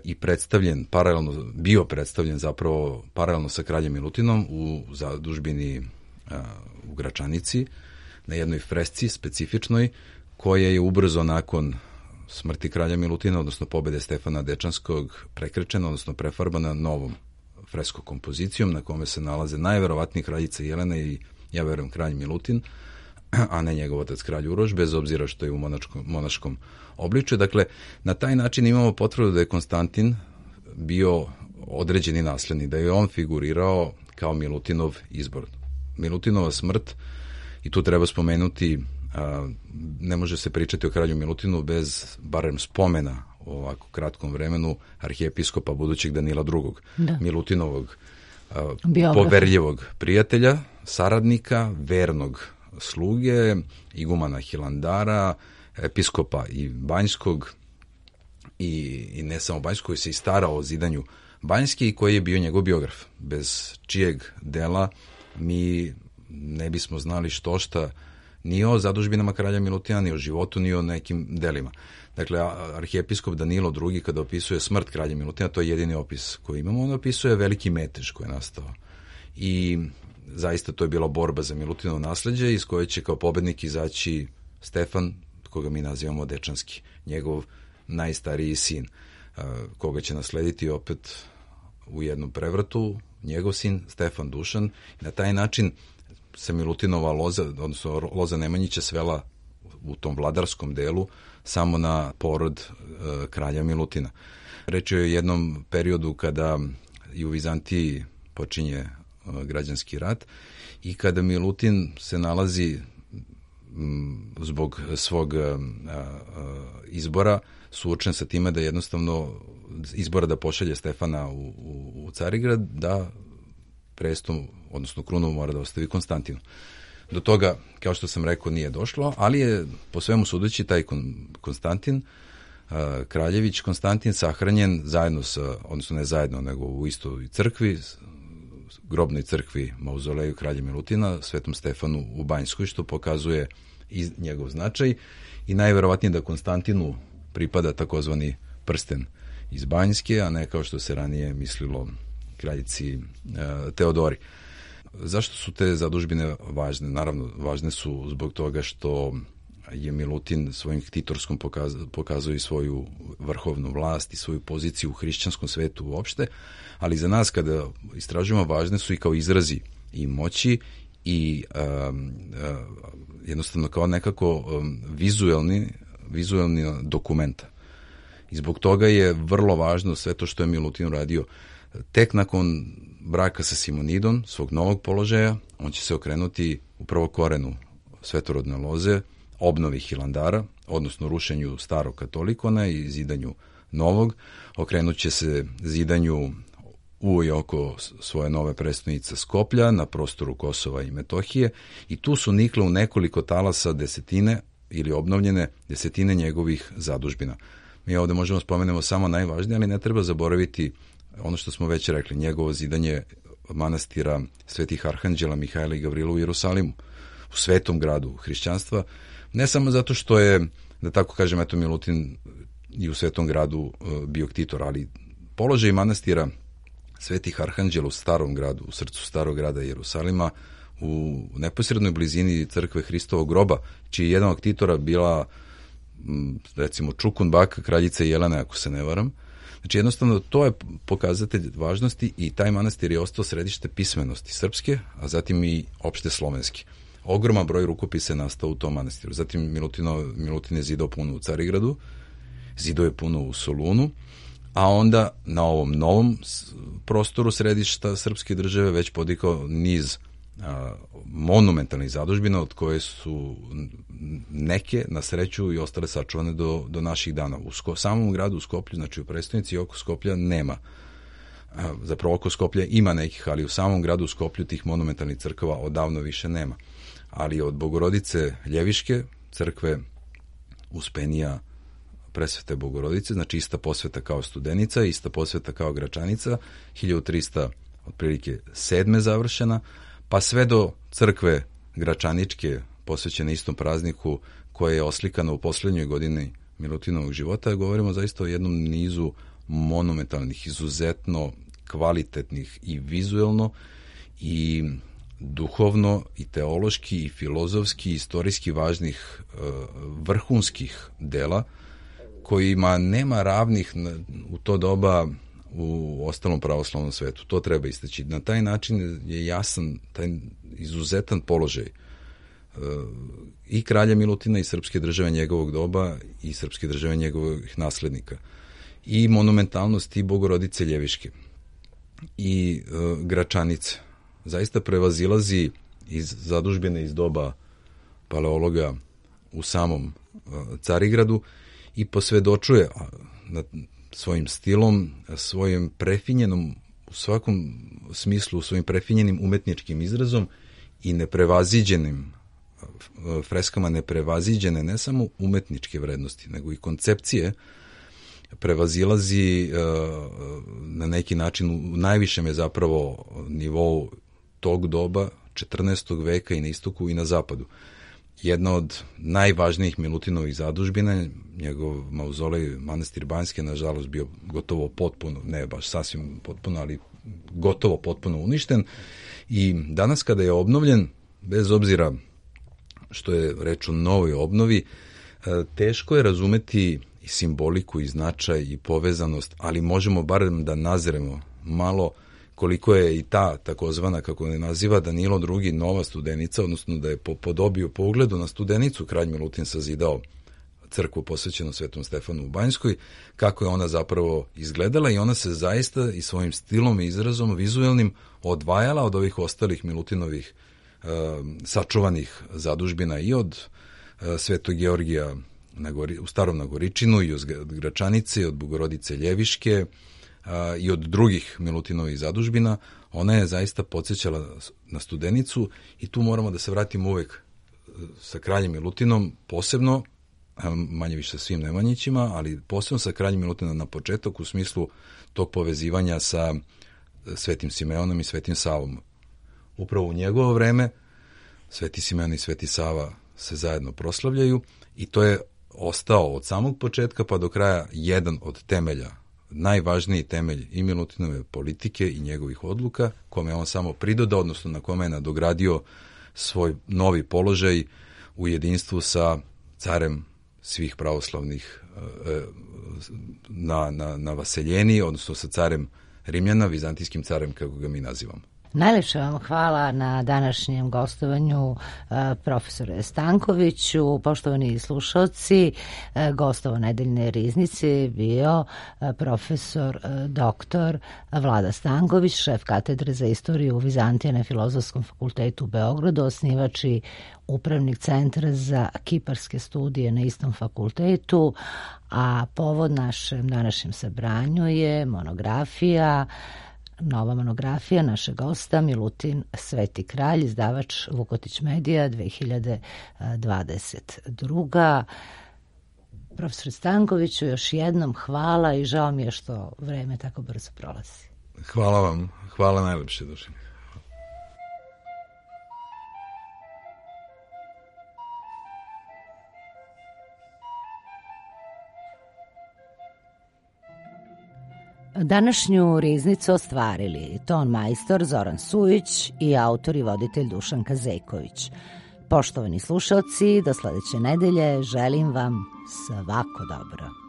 i predstavljen paralelno, bio predstavljen zapravo paralelno sa kraljem Milutinom u zadužbini u Gračanici, na jednoj fresci specifičnoj, koja je ubrzo nakon smrti kralja Milutina, odnosno pobede Stefana Dečanskog, prekrečena, odnosno prefarbana novom fresko kompozicijom, na kome se nalaze najverovatnije kraljica Jelena i, ja verujem, kralj Milutin, a ne njegov otac kralj Uroš, bez obzira što je u monačkom, monaškom obličju. Dakle, na taj način imamo potvrdu da je Konstantin bio određeni naslednik, da je on figurirao kao Milutinov izbor. Milutinova smrt, i tu treba spomenuti, a, ne može se pričati o kralju Milutinu bez barem spomena u ovako kratkom vremenu arhijepiskopa budućeg Danila drugog. Da. Milutinovog a, poverljivog prijatelja, saradnika, vernog sluge, igumana Hilandara, episkopa i Banjskog, i, i ne samo Banjskog, koji se i starao o zidanju Banjske i koji je bio njegov biograf, bez čijeg dela mi ne bismo znali što šta ni o zadužbinama kralja Milutina, ni o životu, ni o nekim delima. Dakle, arhijepiskop Danilo drugi, kada opisuje smrt kralja Milutina, to je jedini opis koji imamo, on opisuje veliki metež koji je nastao. I zaista to je bila borba za Milutinovo nasleđe, iz koje će kao pobednik izaći Stefan, koga mi nazivamo Dečanski, njegov najstariji sin, koga će naslediti opet u jednom prevratu njegov sin Stefan Dušan. I na taj način se Milutinova loza, odnosno loza Nemanjića, svela u tom vladarskom delu samo na porod e, kralja Milutina. Reč je o jednom periodu kada i u Vizantiji počinje e, građanski rat i kada Milutin se nalazi zbog svog izbora suočen sa time da jednostavno izbora da pošalje Stefana u, u, u Carigrad, da presto, odnosno krunu mora da ostavi Konstantinu. Do toga, kao što sam rekao, nije došlo, ali je po svemu sudeći taj Konstantin, Kraljević Konstantin, sahranjen zajedno sa, odnosno ne zajedno, nego u istoj crkvi, grobnoj crkvi mauzoleju kralja Milutina, Svetom Stefanu u Banjskoj, što pokazuje i njegov značaj i najverovatnije da Konstantinu pripada takozvani prsten iz Banjske, a ne kao što se ranije mislilo kraljici e, Teodori. Zašto su te zadužbine važne? Naravno, važne su zbog toga što je Milutin svojim ktitorskom pokaz, pokazao i svoju vrhovnu vlast i svoju poziciju u hrišćanskom svetu uopšte, ali za nas kada istražujemo važne su i kao izrazi i moći i um, uh, jednostavno kao nekako um, vizuelni, vizuelni dokumenta. I zbog toga je vrlo važno sve to što je Milutin radio. Tek nakon braka sa Simonidom, svog novog položaja, on će se okrenuti upravo korenu svetorodne loze, obnovi Hilandara, odnosno rušenju starog katolikona i zidanju novog. Okrenut će se zidanju u i oko svoje nove prestonice Skoplja na prostoru Kosova i Metohije i tu su nikle u nekoliko talasa desetine ili obnovljene desetine njegovih zadužbina. Mi ovde možemo spomenemo samo najvažnije, ali ne treba zaboraviti ono što smo već rekli, njegovo zidanje manastira Svetih Arhanđela Mihajla i Gavrila u Jerusalimu, u svetom gradu hrišćanstva, ne samo zato što je, da tako kažem, eto Milutin i u svetom gradu bio ktitor, ali položaj manastira Svetih Arhanđela u starom gradu, u srcu starog grada Jerusalima, u neposrednoj blizini crkve Hristovog groba, čiji je jedan od ktitora bila, recimo, Čukun baka kraljica Jelena, ako se ne varam. Znači, jednostavno, to je pokazatelj važnosti i taj manastir je ostao središte pismenosti srpske, a zatim i opšte slovenske. Ogroman broj rukopisa je nastao u tom manastiru. Zatim Milutino, Milutin je zidao puno u Carigradu, zidao je puno u Solunu, a onda na ovom novom prostoru središta srpske države već podigao niz a, monumentalnih zadužbina, od koje su neke na sreću i ostale sačuvane do, do naših dana. U Sko, samom gradu u Skoplju, znači u prestonici i oko Skoplja nema. A, zapravo oko Skoplja ima nekih, ali u samom gradu u Skoplju tih monumentalnih crkava odavno više nema. Ali od Bogorodice Ljeviške, crkve Uspenija Presvete Bogorodice, znači ista posveta kao Studenica, ista posveta kao Gračanica, hiljadu trista otprilike sedme završena, pa sve do crkve Gračaničke posvećene istom prazniku, koja je oslikana u poslednjoj godini Milutinovog života. Govorimo zaista o jednom nizu monumentalnih, izuzetno kvalitetnih i vizuelno i duhovno i teološki i filozofski i istorijski važnih vrhunskih dela, kojima nema ravnih u to doba u ostalom pravoslavnom svetu. To treba istaći. Na taj način je jasan taj izuzetan položaj i kralja Milutina i srpske države njegovog doba i srpske države njegovih naslednika. I monumentalnost i Bogorodice Ljeviške i uh, Gračanice zaista prevazilazi iz zadužbine iz doba paleologa u samom uh, Carigradu i posvedočuje na svojim stilom, svojim prefinjenom, u svakom smislu, svojim prefinjenim umetničkim izrazom i neprevaziđenim freskama, neprevaziđene ne samo umetničke vrednosti, nego i koncepcije, prevazilazi na neki način, u najvišem je zapravo nivou tog doba, četrnaestog veka i na istoku i na zapadu. Jedna od najvažnijih Milutinovih zadužbina, njegov mauzolej manastir Banjske, nažalost bio gotovo potpuno, ne baš sasvim potpuno, ali gotovo potpuno uništen. I danas kada je obnovljen, bez obzira što je reč o novoj obnovi, teško je razumeti i simboliku i značaj i povezanost, ali možemo barem da nazremo malo koliko je i ta takozvana, kako ne naziva, Danilo drugi nova Studenica, odnosno da je po podobiju, po ugledu na Studenicu kralj Milutin sazidao crkvu posvećenu Svetom Stefanu u Banjskoj, kako je ona zapravo izgledala i ona se zaista i svojim stilom i izrazom vizuelnim odvajala od ovih ostalih Milutinovih sačuvanih zadužbina i od Svetog Georgija na Gori, u Starom Nagoričinu i od Gračanice, i od Bogorodice Ljeviške a, i od drugih Milutinovih zadužbina. Ona je zaista podsjećala na Studenicu i tu moramo da se vratimo uvek sa kraljem Milutinom, posebno, manje više sa svim Nemanjićima, ali posebno sa kraljem Milutinom na početak u smislu tog povezivanja sa Svetim Simeonom i Svetim Savom. Upravo u njegovo vreme Sveti Simeon i Sveti Sava se zajedno proslavljaju i to je ostao od samog početka pa do kraja jedan od temelja, najvažniji temelj i Milutinove politike i njegovih odluka, kome je on samo pridodao, odnosno na kome je nadogradio svoj novi položaj u jedinstvu sa carem svih pravoslavnih na, na, na Vaseljeni, odnosno sa carem Rimljana, vizantijskim carem kako ga mi nazivamo. Najlepše vam hvala na današnjem gostovanju profesore Stankoviću. Poštovani slušalci, gostovo nedeljne riznice bio profesor doktor Vlada Stanković, šef katedre za istoriju Vizantije na Filozofskom fakultetu u Beogradu, osnivač i upravnik centra za kiparske studije na istom fakultetu, a povod našem današnjem sabranju je monografija Nova monografija našeg gosta Milutin Sveti kralj, izdavač Vukotić Medija dve hiljade dvadeset druga. Profesor Stankoviću, još jednom hvala i žao mi je što vreme tako brzo prolazi. Hvala vam, hvala najlepše, Dušan. Današnju riznicu ostvarili ton majstor Zoran Sujić i autor i voditelj Dušan Kazejković. Poštovani slušalci, do sledeće nedelje želim vam svako dobro.